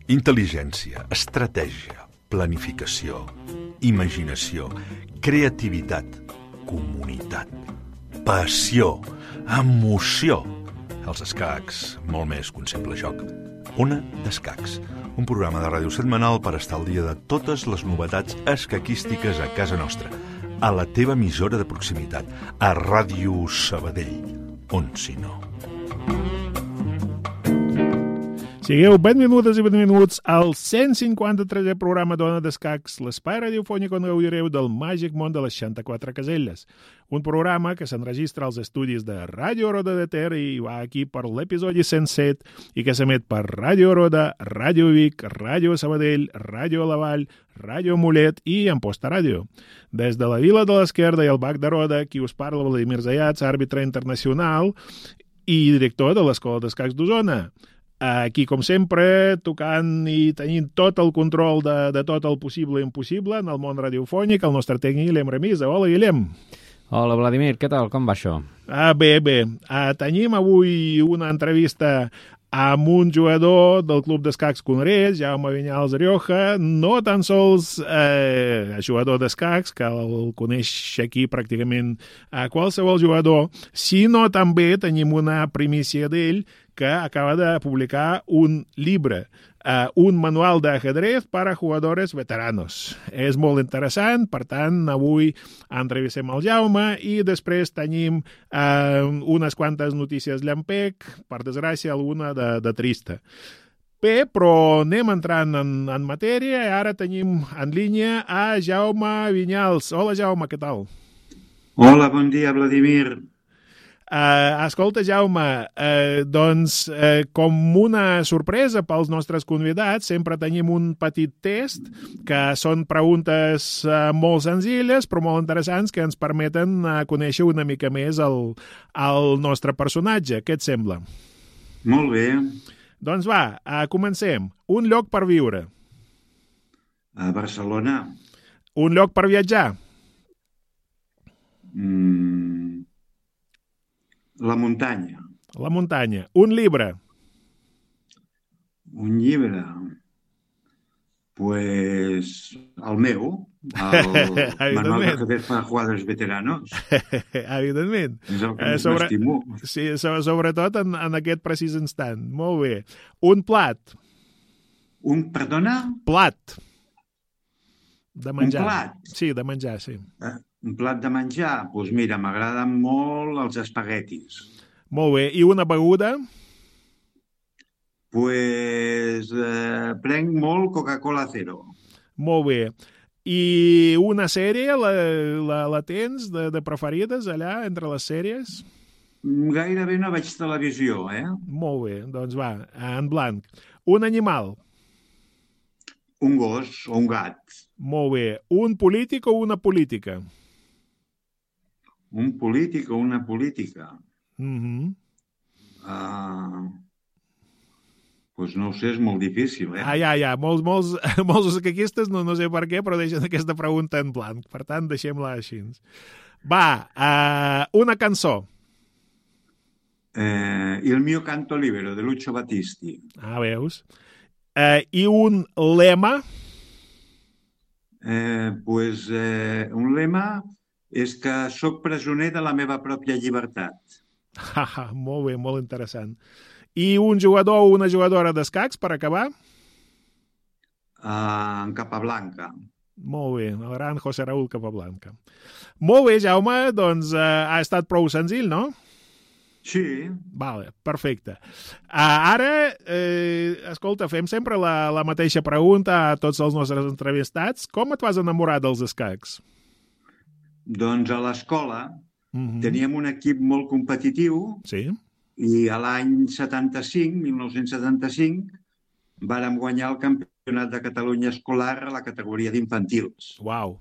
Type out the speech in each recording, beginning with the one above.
Intel·ligència, estratègia, planificació, imaginació, creativitat, comunitat, passió, emoció. Els escacs, molt més que un simple joc. Ona d'Escacs, un programa de ràdio setmanal per estar al dia de totes les novetats escaquístiques a casa nostra, a la teva emissora de proximitat, a Ràdio Sabadell, on si no. Sigueu 20 minutes i 20 minuts al 153è programa d'Ona d'Escacs, l'espai radiofònic on gaudireu del màgic món de les 64 caselles. Un programa que s'enregistra als estudis de Ràdio Roda de Ter i va aquí per l'episodi 107 i que s'emet per Ràdio Roda, Ràdio Vic, Ràdio Sabadell, Ràdio La Vall, Ràdio Mollet i Amposta Ràdio. Des de la Vila de l'Esquerda i el Bac de Roda, qui us parla Vladimir Zayats, àrbitre internacional i director de l'Escola d'Escacs d'Osona. Aquí, com sempre, tocant i tenint tot el control de tot el possible i impossible en el món radiofònic, el nostre tècnic Guillem Remisa. Hola, Guillem. Hola, Vladimir, què tal? Com va això? Bé. Tenim avui una entrevista amb un jugador del Club d'Escacs Conrés, Jaume Vinyals Rioja, no tan sols jugador d'escacs, que el coneix aquí pràcticament qualsevol jugador, sinó també tenim una primícia d'ell que acaba de publicar un llibre, un manual d'ajedrez per a jugadores veteranos. És molt interessant, per tant, avui entrevistem el Jaume i després tenim unes quantes notícies llampec, per desgràcia, alguna de trista. Bé, però anem entrant en matèria i ara tenim en línia a Jaume Vinyals. Hola, Jaume, què tal? Hola, bon dia, Vladimir. Escolta, Jaume, com una sorpresa pels nostres convidats, sempre tenim un petit test que són preguntes molt senzilles però molt interessants que ens permeten conèixer una mica més el nostre personatge. Què et sembla? Molt bé. Doncs va, comencem. Un lloc per viure. A Barcelona. Un lloc per viatjar. La muntanya. La muntanya. Un llibre. Un llibre. Pues el meu, el manual d'ajedrez per a jugadors veteranos. Evidentment. És el que més m'estimo. Sí, sobretot en aquest precís instant. Molt bé. Un plat. Perdona? Plat. De menjar. Un plat? Sí, de menjar, sí. Un plat de menjar? Doncs mira, m'agraden molt els espaguetis. Molt bé. I una beguda? Pues prenc molt Coca-Cola Zero. Molt bé. I una sèrie, la tens de preferides allà, entre les sèries? Gairebé no veig televisió, Molt bé, doncs va, en blanc. Un animal? Un gos o un gat. Molt bé. Un polític o una política? Un polític o una política? Doncs no ho sé, és molt difícil, Ja. Molts escaquistes, no sé per què, però deixen aquesta pregunta en blanc. Per tant, deixem-la així. Va, una cançó. Il mio canto libero, de Lucio Battisti. Veus? I un lema? Un lema és que sóc presoner de la meva pròpia llibertat. Molt bé, molt interessant. I un jugador o una jugadora d'escacs, per acabar? En Capablanca. Molt bé, el gran José Raúl Capablanca. Molt bé, Jaume, doncs ha estat prou senzill, no? Sí. Vale, perfecte. Ara, escolta, fem sempre la mateixa pregunta a tots els nostres entrevistats. Com et vas enamorar dels escacs? Doncs a l'escola teníem un equip molt competitiu. Sí. I a l'any 1975, vàrem guanyar el campionat de Catalunya escolar a la categoria d'infantils. Uau.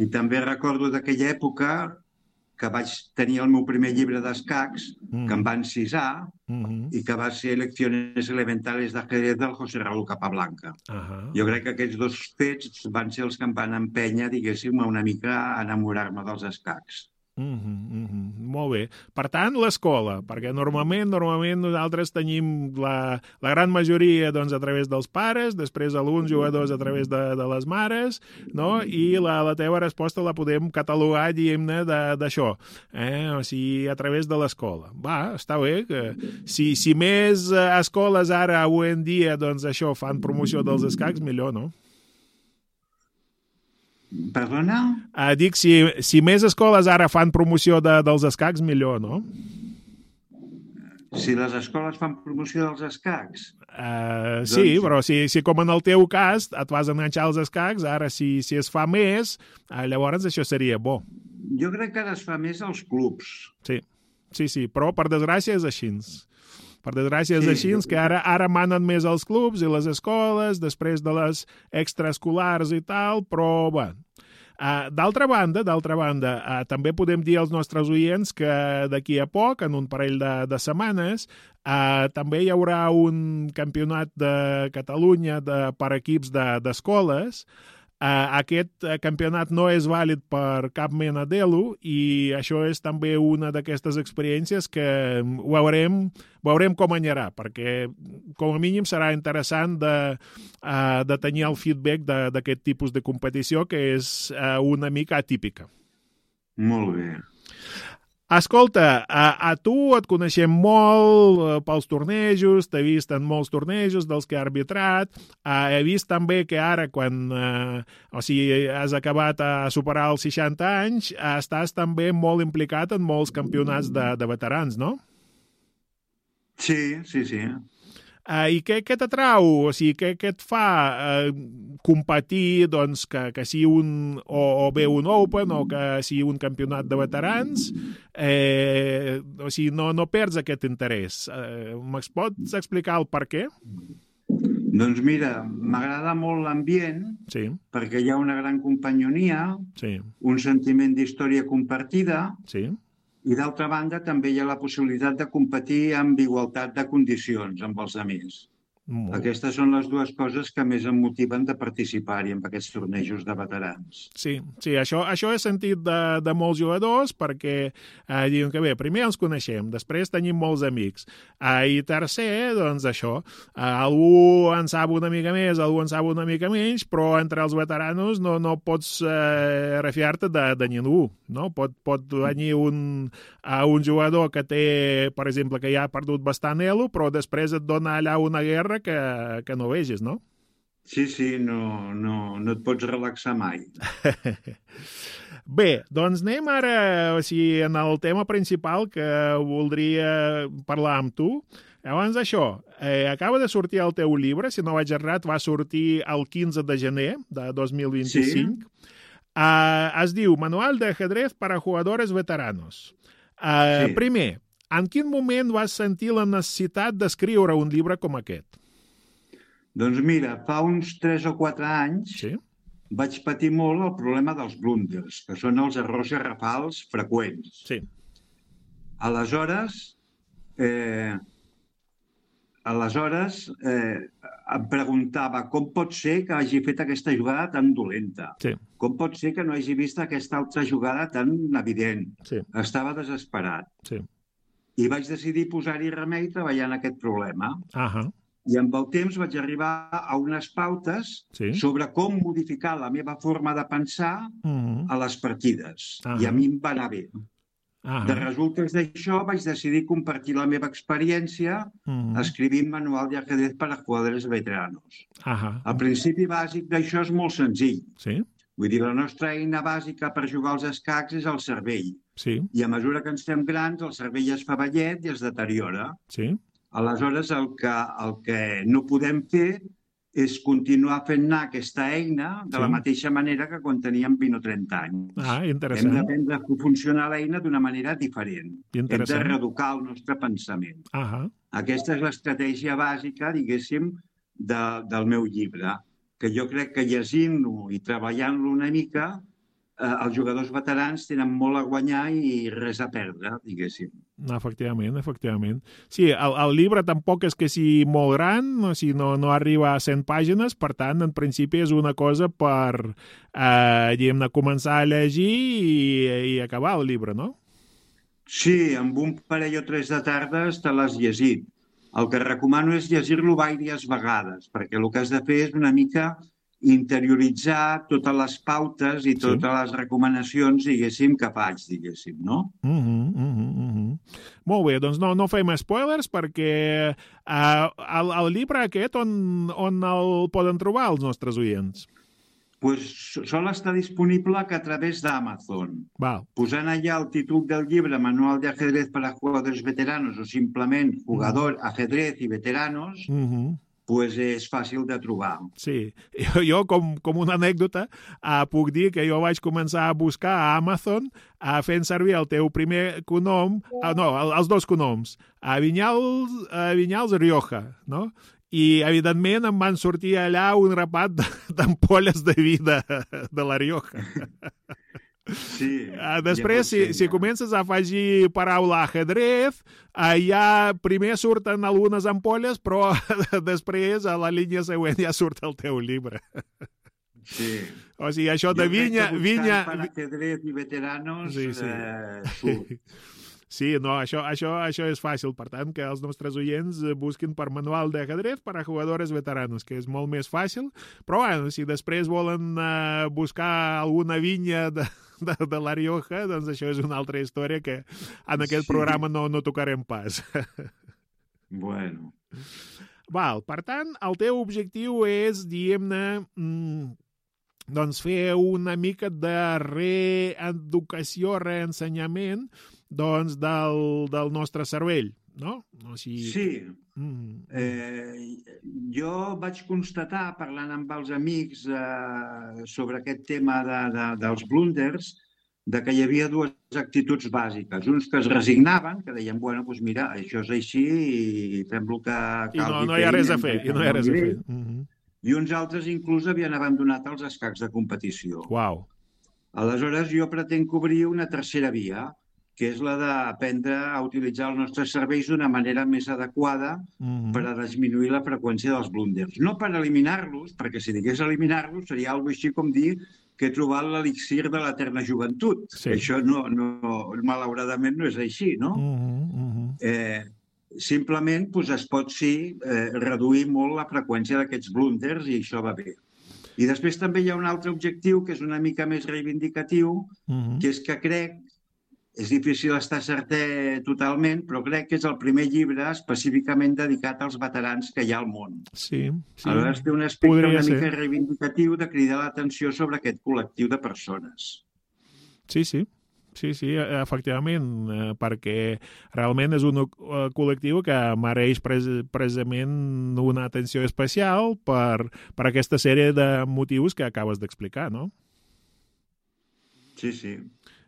I també recordo d'aquella època que vaig tenir el meu primer llibre d'escacs, que em va encisar, i que va ser Lecciones Elementales d'Ajedrez del José Raúl Capablanca. Jo crec que aquests dos fets van ser els que em van empènyer, diguéssim, una mica a enamorar-me dels escacs. Molt bé. Per tant, l'escola, perquè normalment nosaltres tenim la gran majoria doncs, a través dels pares, després alguns jugadors a través de les mares, no? I la teva resposta la podem catalogar, diguem-ne, d'això, o sigui, a través de l'escola. Va, està bé, que si més escoles ara, avui en dia, doncs això, fan promoció dels escacs, millor, no? Perdona? Dic, si més escoles ara fan promoció dels escacs, millor, no? Si les escoles fan promoció dels escacs? Sí, però si com en el teu cas et vas enganxar als escacs, ara si es fa més, llavors això seria bo. Jo crec que ara es fa més als clubs. Sí, però per desgràcia és així. Per desgràcia és així, que ara manen més els clubs i les escoles, després de les extraescolars i tal, però bé. D'altra banda, també podem dir als nostres oients que d'aquí a poc, en un parell de setmanes, també hi haurà un campionat de Catalunya per equips d'escoles. Aquest campionat no és vàlid per cap mena d'elo i això és també una d'aquestes experiències que veurem com anirà, perquè com a mínim serà interessant de tenir el feedback d'aquest tipus de competició que és una mica atípica. Molt bé. Escolta, a tu et coneixem molt pels tornejos, t'he vist en molts tornejos dels que he arbitrat, he vist també que ara quan has acabat a superar els 60 anys, estàs també molt implicat en molts campionats de veterans, no? Sí. I què t'atrau? O sigui, què et fa competir doncs, que sigui o bé un Open o que sigui un campionat de veterans? O sigui, no perds aquest interès. Me'n pots explicar el per què? Doncs mira, m'agrada molt l'ambient, perquè hi ha una gran companyonia, un sentiment d'història compartida, i d'altra banda també hi ha la possibilitat de competir amb igualtat de condicions amb els amics. Aquestes són les dues coses que més em motiven de participar-hi en aquests tornejos de veterans. Sí, això he sentit de molts jugadors perquè diuen que bé, primer ens coneixem, després tenim molts amics, i tercer, doncs això, algú en sap una mica més, algú en sap una mica menys, però entre els veteranos no pots refiar-te de ningú, no? Pot venir un jugador que té, per exemple, que ja ha perdut bastant elo, però després et dona allà una guerra que no vegis, no? Sí, no et pots relaxar mai. Bé, doncs anem ara en el tema principal que voldria parlar amb tu. Abans d'això, acaba de sortir el teu llibre, si no vaig errat, va sortir el 15 de gener de 2025. Sí. Es diu Manual de ajedrez para jugadores veteranos. Primer, en quin moment vas sentir la necessitat d'escriure un llibre com aquest? Doncs mira, fa uns 3 o 4 anys vaig patir molt el problema dels blunders, que són els errors garrafals freqüents. Aleshores, em preguntava com pot ser que hagi fet aquesta jugada tan dolenta? Com pot ser que no hagi vist aquesta altra jugada tan evident? Estava desesperat. I vaig decidir posar-hi remei treballant aquest problema. I amb el temps vaig arribar a unes pautes sobre com modificar la meva forma de pensar a les partides. I a mi em va anar bé. De resultes d'això vaig decidir compartir la meva experiència escrivint Manual de ajedrez para jugadores veteranos. El principi bàsic d'això és molt senzill. Vull dir, la nostra eina bàsica per jugar als escacs és el cervell. I a mesura que ens fem grans, el cervell es fa vellet i es deteriora. Aleshores, el que no podem fer és continuar fent anar aquesta eina de la mateixa manera que quan teníem 20 o 30 anys. Interessant. Hem d'aprendre a funcionar l'eina d'una manera diferent. Hem de reeducar el nostre pensament. Aquesta és l'estratègia bàsica, diguéssim, del meu llibre, que jo crec que llegint-lo i treballant-lo una mica els jugadors veterans tenen molt a guanyar i res a perdre, diguéssim. Efectivament, efectivament. Sí, el llibre tampoc és que sigui molt gran, o sigui, no arriba a 100 pàgines, per tant, en principi és una cosa per, diguem-ne, començar a llegir i acabar el llibre, no? Sí, amb un parell o 3 de tardes te l'has llegit. El que recomano és llegir-lo diverses vegades, perquè el que has de fer és una mica interioritzar totes les pautes i totes les recomanacions, diguéssim, que faig, diguéssim, no? Molt bé, doncs no fem spoilers perquè el llibre aquest on el poden trobar els nostres oients? Pues sol estar disponible que a través d'Amazon. Posant allà el títol del llibre, Manual de ajedrez para jugadores veteranos o simplement Jugador, ajedrez i veteranos, pues és fàcil de trobar. Sí, jo com una anècdota puc dir que jo vaig començar a buscar a Amazon fent servir el teu primer cognom, els dos cognoms, Vinyals Rioja, no? I, evidentment, em van sortir allà un rapat d'ampolles de vi de la Rioja. Sí. Després, si comences a afegir paraula ajedrez, ja primer surten algunes ampolles, però després, a la línia següent, ja surt el teu llibre. Sí. O sigui, això de vinya... Per ajedrez i veteranos, surt. Sí, no, això és fàcil. Per tant, que els nostres oients busquin per Manual de ajedrez per a jugadores veteranos, que és molt més fàcil. Però, bueno, si després volen buscar alguna vinya de la Rioja, doncs això és una altra història que en aquest programa no tocarem pas. Bueno. Per tant, el teu objectiu és, diguem-ne, doncs fer una mica de reeducació, reensenyament, doncs del nostre cervell, no? Sí. Jo vaig constatar, parlant amb els amics sobre aquest tema dels blunders, que hi havia dues actituds bàsiques. Uns que es resignaven, que deien, bueno, doncs mira, això és així i fem el que calgui. I no hi ha res a fer. I uns altres inclús havien abandonat els escacs de competició. Uau. Aleshores, jo pretenc obrir una tercera via, que és la d'aprendre a utilitzar els nostres serveis d'una manera més adequada per a disminuir la freqüència dels blunders. No per eliminar-los, perquè si digués eliminar-los seria alguna cosa així com dir que he trobat l'elixir de l'eterna joventut. Sí. Això malauradament no és així, no? Simplement es pot reduir molt la freqüència d'aquests blunders i això va bé. I després també hi ha un altre objectiu que és una mica més reivindicatiu, que és que crec, és difícil estar certer totalment, però crec que és el primer llibre específicament dedicat als veterans que hi ha al món. Sí. Aleshores té un aspecte una mica reivindicatiu de cridar l'atenció sobre aquest col·lectiu de persones. Sí, efectivament, perquè realment és un col·lectiu que mereix precisament una atenció especial per aquesta sèrie de motius que acabes d'explicar, no? Sí.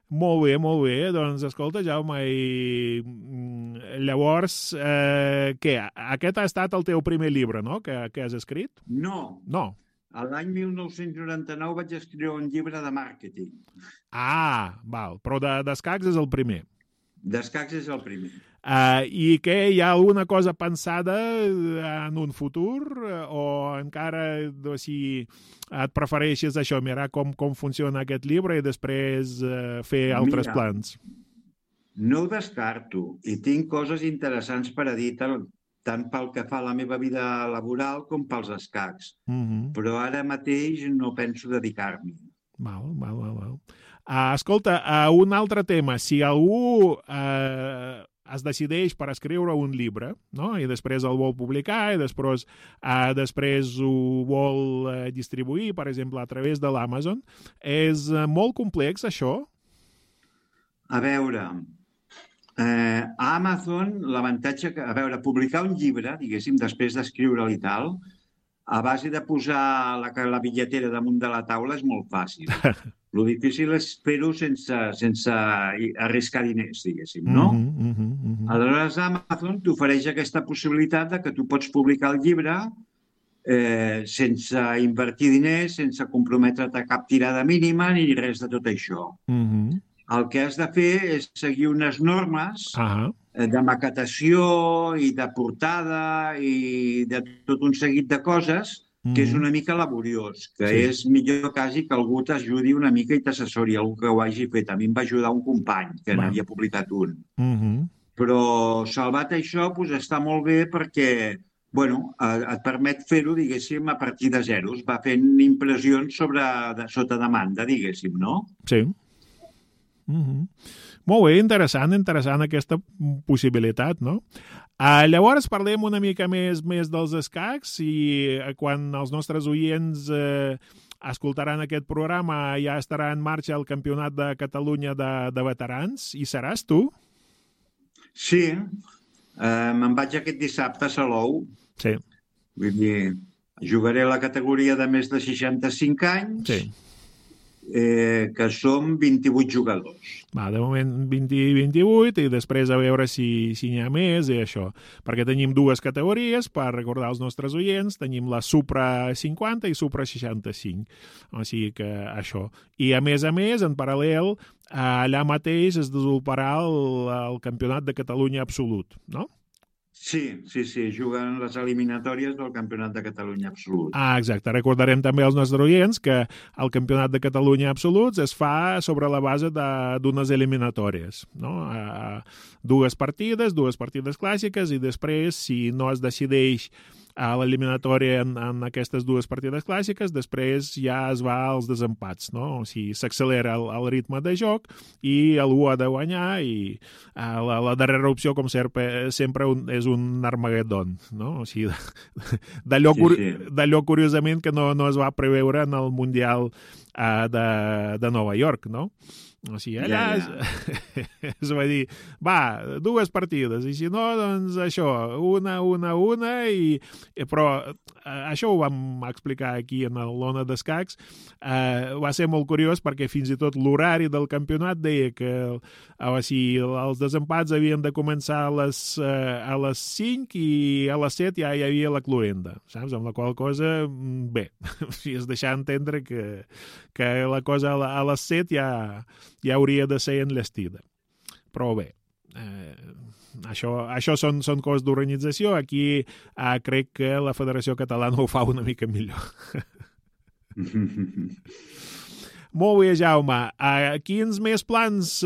Molt bé. Doncs, escolta, Jaume, llavors, què? Aquest ha estat el teu primer llibre, no?, que has escrit? No. L'any 1999 vaig escriure un llibre de màrqueting. Val. Però d'escacs és el primer. D'escacs és el primer. I què, hi ha alguna cosa pensada en un futur o encara et prefereixes això, mirar com funciona aquest llibre i després fer altres plans? No ho descarto i tinc coses interessants per a dir tant pel que fa a la meva vida laboral com pels escacs. Però ara mateix no penso dedicar-m'hi. Val. Escolta, un altre tema. Si algú es decideix per escriure un llibre, no?, i després el vol publicar i després ho vol distribuir, per exemple, a través de l'Amazon, és molt complex, això? A veure, a Amazon l'avantatge que... A veure, publicar un llibre, diguéssim, després d'escriure'l i tal, a base de posar la bitlletera damunt de la taula és molt fàcil. Lo difícil és fer-ho sense arriscar diners, diguéssim, no? Aleshores, Amazon t'ofereix aquesta possibilitat de que tu pots publicar el llibre sense invertir diners, sense comprometre't a cap tirada mínima ni res de tot això. El que has de fer és seguir unes normes de maquetació i de portada i de tot un seguit de coses que és una mica laboriós, que és millor quasi que algú t'ajudi una mica i t'assessori, algú que ho hagi fet. A mi em va ajudar un company, que n'havia publicat un. Però salvat això, està molt bé perquè et permet fer-ho, diguéssim, a partir de zeros. Va fent impressions sota demanda, diguéssim, no? Sí. Molt bé, interessant aquesta possibilitat, no? Llavors parlem una mica més dels escacs i quan els nostres oients escoltaran aquest programa ja estarà en marxa el Campionat de Catalunya de veterans. I seràs tu? Sí, me'n vaig aquest dissabte a Salou. Sí. Vull dir, jugaré a la categoria de més de 65 anys. Sí. Que som 28 jugadors. De moment 20-28 i després a veure si n'hi ha més i això. Perquè tenim dues categories, per recordar als nostres oients, tenim la Supra 50 i Supra 65. O sigui que això. I a més, en paral·lel, allà mateix es desenvoluparà el Campionat de Catalunya Absolut, no? Sí, juguen les eliminatòries del Campionat de Catalunya Absolut. Exacte. Recordarem també als nostres oients que el Campionat de Catalunya Absolut es fa sobre la base d'unes eliminatòries, no? Dues partides clàssiques i després, si no es decideix a l'eliminatòria en aquestes dues partides clàssiques, després ja es va als desempats, no? O sigui, s'accelera el ritme de joc i algú ha de guanyar i la darrera opció, com sempre és un Armageddon, no? O sigui, d'allò curiosament que no es va preveure en el Mundial de Nova York, no? O sigui, allà es va dir, dues partides, i si no, doncs això, una, però això ho vam explicar aquí en l'Ona d'Escacs, va ser molt curiós perquè fins i tot l'horari del campionat deia que els desempats havien de començar a les 5 i a les 7 ja hi havia la cloenda, saps? Amb la qual cosa, bé, es deixar entendre que la cosa a les 7 ja hauria de ser enllestida. Però bé, això són coses d'organització. Aquí crec que la Federació Catalana ho fa una mica millor. Molt bé, Jaume. Quins més plans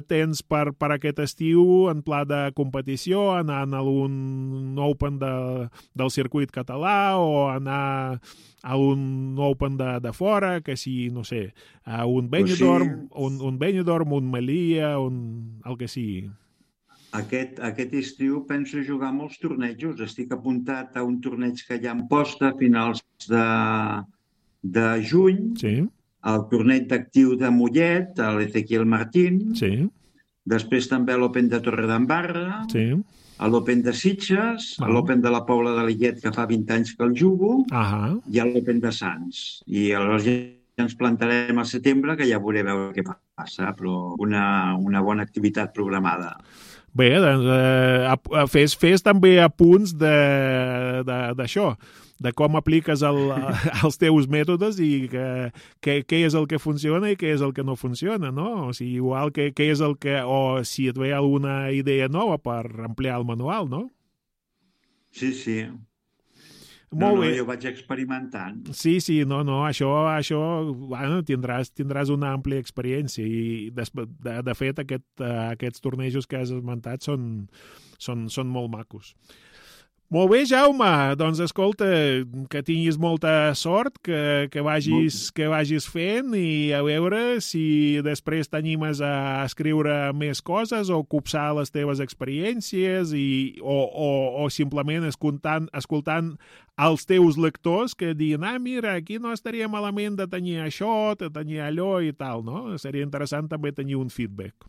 tens per aquest estiu en pla de competició? Anar a algun Open del circuit català o anar a un Open de fora, que si, no sé, a un Benidorm, un Benidorm, un Melilla, el que sigui. Aquest estiu penso jugar molts tornejos. Estic apuntat a un torneig que hi ha en posta a finals de juny. Sí. El torneig d'actiu de Mollet, a l'Ezequiel Martín. Sí. Després també l'Open de Torredembarra. Sí. A l'Open de Sitges, a l'Open de la Pobla de Lillet, que fa 20 anys que el jugo, i a l'Open de Sants. I aleshores ja ens plantarem al setembre, que ja veurem què passa, però una bona activitat programada. Bé, doncs fes també apunts d'això, de com apliques els teus mètodes i què és el que funciona i què és el que no funciona, no? O sigui, igual què és el que... O si et ve alguna idea nova per ampliar el manual, no? Sí. Molt bé. Jo vaig experimentant. Sí, no, això bueno, tindràs una àmplia experiència i de fet aquests tornejos que has esmentat són molt macos. Molt bé, Jaume, doncs escolta, que tinguis molta sort, que vagis fent i a veure si després t'animes a escriure més coses o copsar les teves experiències o simplement escoltant els teus lectors que diuen, mira, aquí no estaria malament de tenir això, de tenir allò i tal, no? Seria interessant també tenir un feedback.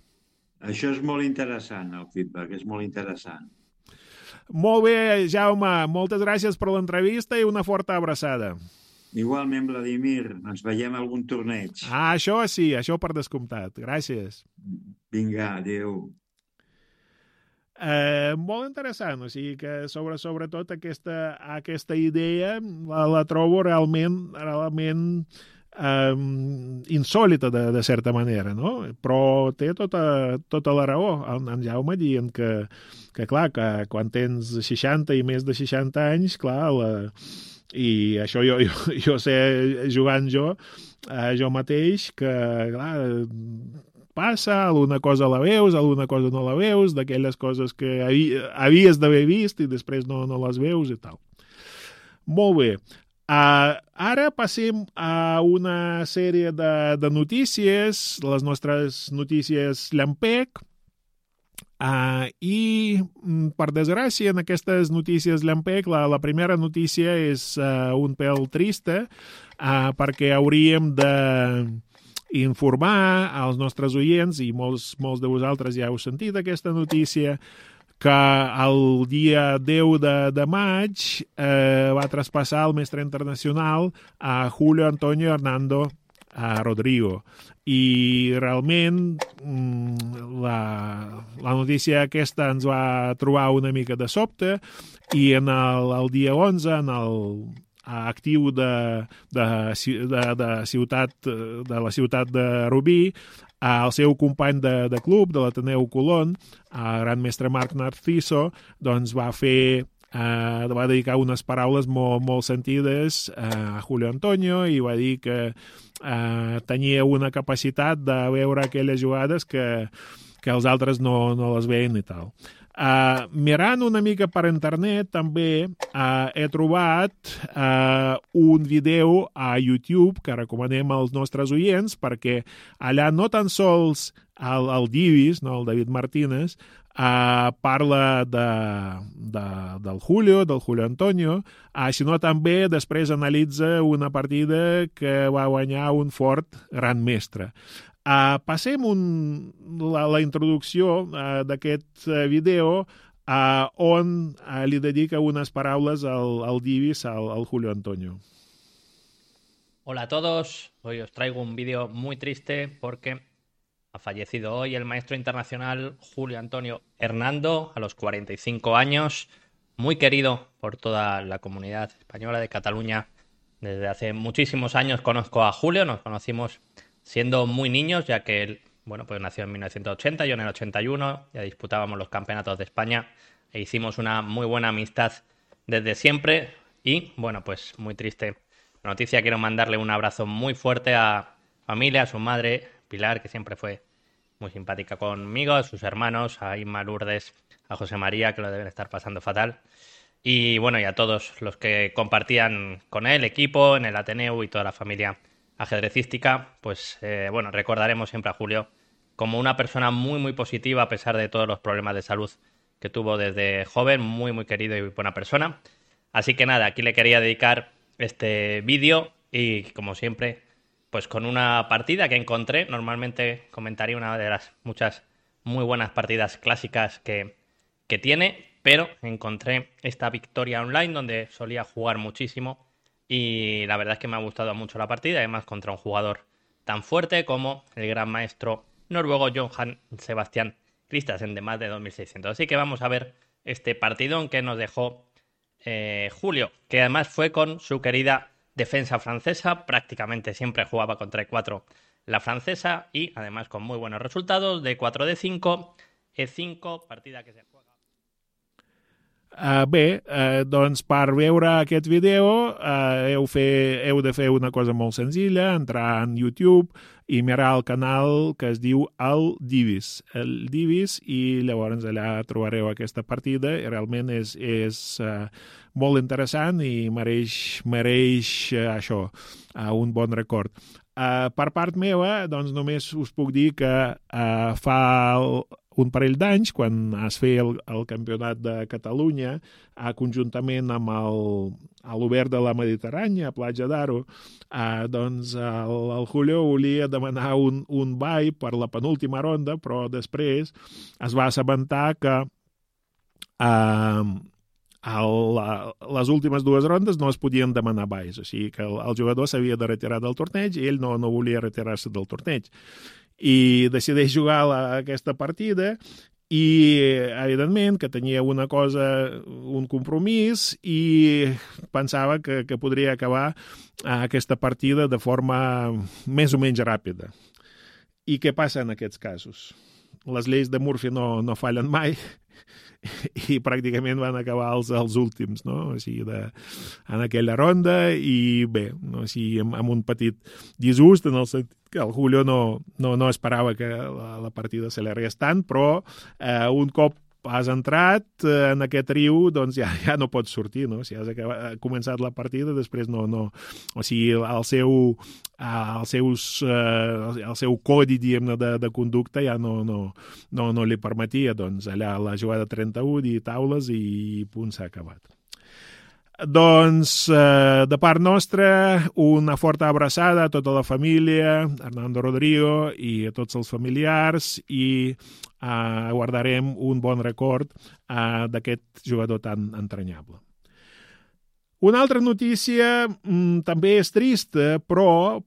Això és molt interessant, el feedback, és molt interessant. Molt bé, Jaume, moltes gràcies per l'entrevista i una forta abraçada. Igualment, Vladimir, ens veiem a algun torneig. Això sí, això per descomptat. Gràcies. Vinga, adéu. Molt interessant, o sigui que sobretot aquesta idea la trobo realment insòlita de certa manera, no? Però té tota la raó en Jaume dient que clar, que quan tens 60 i més de 60 anys, clar, i això jo sé jugant jo mateix, que clar, passa, alguna cosa la veus, alguna cosa no la veus, d'aquelles coses que havies d'haver vist i després no les veus i tal. Molt bé. Ara passem a una sèrie de notícies, les nostres notícies llampec, i per desgràcia en aquestes notícies llampec la primera notícia és un pèl trista, perquè hauríem de informar als nostres oients, i molts de vosaltres ja heu sentit aquesta notícia, que el dia 10 de maig va traspassar el mestre internacional a Julio Antonio Hernando Rodrigo. I realment la notícia aquesta ens va trobar una mica de sobte, i el dia 11, en el actiu de la ciutat de Rubí, el seu company de club, de l'Ateneu Colón, el gran mestre Marc Narciso, doncs va dedicar unes paraules molt sentides a Julio Antonio i va dir que tenia una capacitat de veure aquelles jugades que els altres no les veien i tal. Mirant una mica per internet també he trobat un vídeo a YouTube que recomanem als nostres oients, perquè allà no tan sols el Divis, no, el David Martínez, parla del Julio Antonio, sinó també després analitza una partida que va guanyar un fort gran mestre. Passem la introducció d'aquest vídeo on li dedica unas paraules al Divis, al Julio Antonio. Hola a todos, hoy os traigo un vídeo muy triste porque ha fallecido hoy el maestro internacional Julio Antonio Hernando a los 45 años, muy querido por toda la comunidad española de Cataluña. Desde hace muchísimos años conozco a Julio, nos conocimos siendo muy niños, ya que él, pues nació en 1980, yo en el 81, ya disputábamos los campeonatos de España e hicimos una muy buena amistad desde siempre. Y, pues muy triste la noticia. Quiero mandarle un abrazo muy fuerte a familia, a su madre, Pilar, que siempre fue muy simpática conmigo, a sus hermanos, a Inma, Lourdes, a José María, que lo deben estar pasando fatal. Y, y a todos los que compartían con él, equipo, en el Ateneu y toda la familia ajedrecística, recordaremos siempre a Julio como una persona muy muy positiva a pesar de todos los problemas de salud que tuvo desde joven, muy muy querido y buena persona. Así que nada, aquí le quería dedicar este vídeo y como siempre, pues con una partida que encontré. Normalmente comentaría una de las muchas muy buenas partidas clásicas que tiene, pero encontré esta victoria online donde solía jugar muchísimo. Y la verdad es que me ha gustado mucho la partida, además contra un jugador tan fuerte como el gran maestro noruego Johan Sebastian Christensen de más de 2.600. Así que vamos a ver este partidón que nos dejó Julio, que además fue con su querida defensa francesa, prácticamente siempre jugaba con 3-4 la francesa y además con muy buenos resultados de 4-5, E5, partida que se juega. Doncs per veure aquest vídeo heu de fer una cosa molt senzilla, entrar en YouTube i mirar el canal que es diu El Divis, i llavors allà trobareu aquesta partida i realment és molt interessant i mereix això, un bon record. Per part meva, doncs només us puc dir que fa un parell d'anys, quan es feia el Campionat de Catalunya, conjuntament amb l'Obert de la Mediterrània, a Platja d'Aro, doncs el Julio volia demanar un ball per la penúltima ronda, però després es va assabentar que les últimes dues rondes no es podien demanar balls, o sigui que el jugador s'havia de retirar del torneig i ell no volia retirar-se del torneig. I decideix jugar aquesta partida I, evidentment, que tenia un compromís i pensava que podria acabar aquesta partida de forma més o menys ràpida. I què passa en aquests casos? Les lleis de Murphy no fallen mai i pràcticament van acabar els últims, no? O sigui, en aquella ronda i bé, no? O sigui, amb un petit disgust en el sentit que el Julio no esperava que la partida s'allargués tant, però un cop has entrat en aquest riu, doncs ja no pots sortir, no? Si has començat la partida, després no. O sigui, el seu codi, diguem-ne, de conducta ja no li permetia, doncs, allà la jugada 31 i taules i punt, s'ha acabat. Doncs, de part nostra, una forta abraçada a tota la família, a Hernando Rodrigo i a tots els familiars, i guardarem un bon record d'aquest jugador tan entranyable. Una altra notícia també és trista, però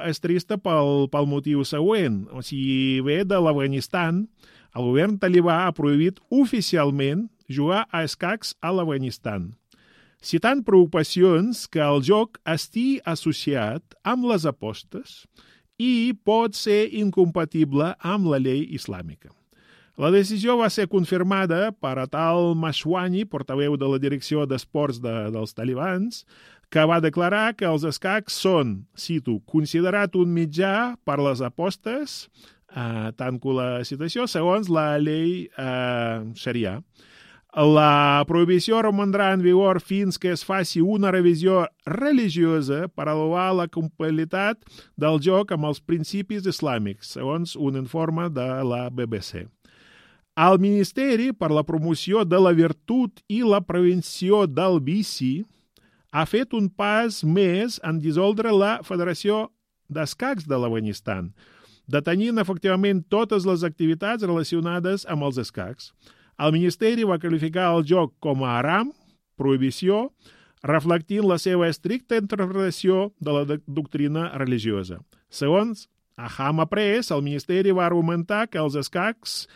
és trista pel motiu següent. O sigui, ve de l'Afganistan. El govern talibà ha prohibit oficialment jugar a escacs a l'Afganistan, citant preocupacions que el joc estigui associat amb les apostes i pot ser incompatible amb la llei islàmica. La decisió va ser confirmada per Atal Mashwani, portaveu de la direcció d'esports dels talibans, que va declarar que els escacs són, cito, considerat un mitjà per les apostes, tanco la citació, segons la llei Sharia. La prohibició romandrà en vigor fins que es faci una revisió religiosa per avaluar la compatibilitat del joc amb els principis islàmics, segons un informe de la BBC. El Ministeri per la Promoció de la Virtut i la Prevenció del Vici ha fet un pas més en dissoldre la Federació d'Escacs de l'Afganistan, detenint efectivament totes les activitats relacionades amb els escacs. El Ministeri va qualificar el joc com a haram, prohibició, reflectint la seva estricta interpretació de la doctrina religiosa. Segons Ahama Press, el Ministeri va argumentar que els escacs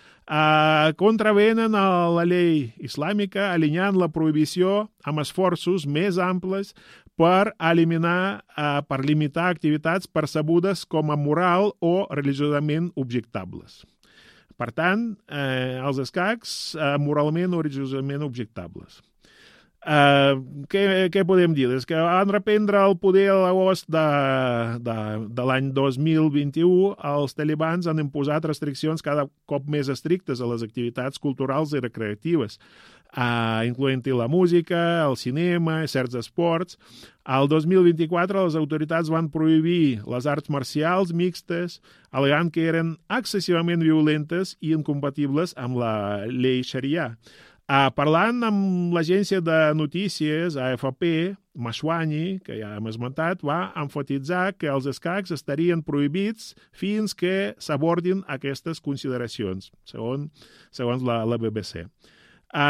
contravenen a la llei islàmica, alineant la prohibició amb esforços més amples per limitar activitats percebudes com a moral o religiosament objectables. Per tant, els escacs moralment o religiosament objectables. Què podem dir? És que van reprendre el poder a l'agost de l'any 2021. Els talibans han imposat restriccions cada cop més estrictes a les activitats culturals i recreatives, incloent-hi la música, el cinema i certs esports. Al 2024 les autoritats van prohibir les arts marcials mixtes, al·legant que eren excessivament violentes i incompatibles amb la llei Sharia. Parlant amb l'agència de notícies AFP, Mashwani, que ja hem esmentat, va enfatitzar que els escacs estarien prohibits fins que s'abordin aquestes consideracions, segons la BBC.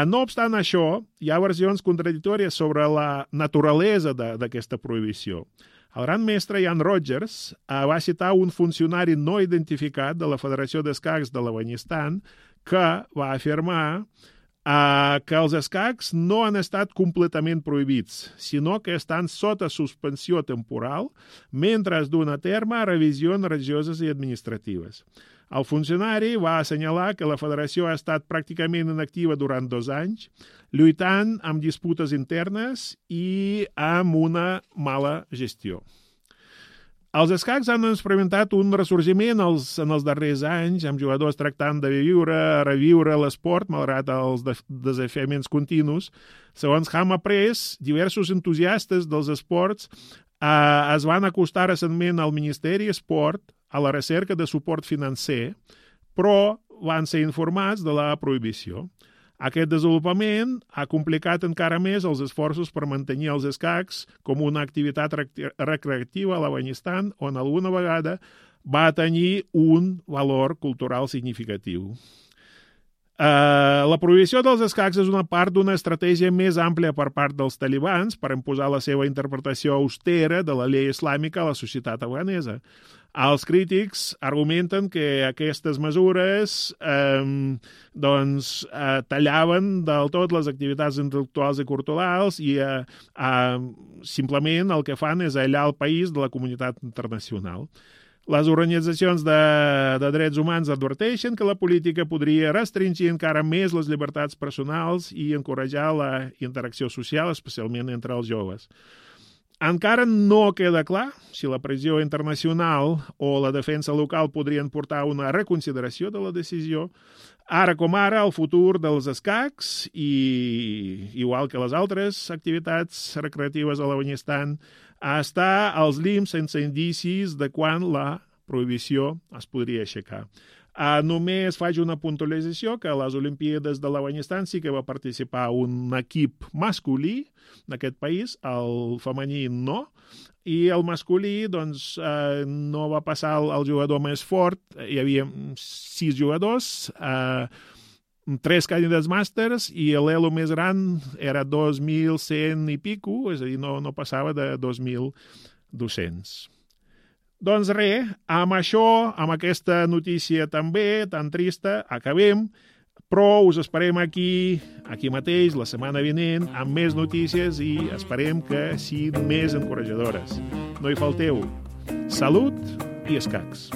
No obstant això, hi ha versions contradictòries sobre la naturalesa d'aquesta prohibició. El gran mestre Ian Rogers va citar un funcionari no identificat de la Federació d'Escacs de l'Afganistan que va afirmar que els escacs no han estat completament prohibits, sinó que estan sota suspensió temporal mentre es duen a terme revisions religioses i administratives. El funcionari va assenyalar que la federació ha estat pràcticament inactiva durant 2 anys, lluitant amb disputes internes i amb una mala gestió. Els escacs han experimentat un ressorgiment en els darrers anys, amb jugadors tractant de reviure l'esport, malgrat els desafiaments continus. Segons Hama Press, diversos entusiastes dels esports es van acostar recentment al Ministeri Esport a la recerca de suport financer, però van ser informats de la prohibició. Aquest desenvolupament ha complicat encara més els esforços per mantenir els escacs com una activitat recreativa a l'Afganistan, on alguna vegada va tenir un valor cultural significatiu. La prohibició dels escacs és una part d'una estratègia més àmplia per part dels talibans per imposar la seva interpretació austera de la llei islàmica a la societat afganesa. Els crítics argumenten que aquestes mesures tallaven del tot les activitats intel·lectuals i culturals i simplement el que fan és aïllar el país de la comunitat internacional. Les organitzacions de drets humans adverteixen que la política podria restringir encara més les llibertats personals i encoratjar la interacció social, especialment entre els joves. Encara no queda clar si la pressió internacional o la defensa local podrien portar una reconsideració de la decisió. Ara com ara, el futur dels escacs, igual que les altres activitats recreatives a l'Afganistan, està als límits sense indicis de quan la prohibició es podria aixecar. Només faig una puntualització que a les Olimpíades de l'Afganistan sí que va participar un equip masculí d'aquest país, el femení no, i el masculí no va passar el jugador més fort, hi havia 6 jugadors, 3 candidats màsters i l'elo més gran era 2.100 i pico, és a dir, no passava de 2.200. Doncs res, amb això, amb aquesta notícia també tan trista, acabem, però us esperem aquí mateix, la setmana vinent, amb més notícies i esperem que siguin més encoratjadores. No hi falteu. Salut i escacs.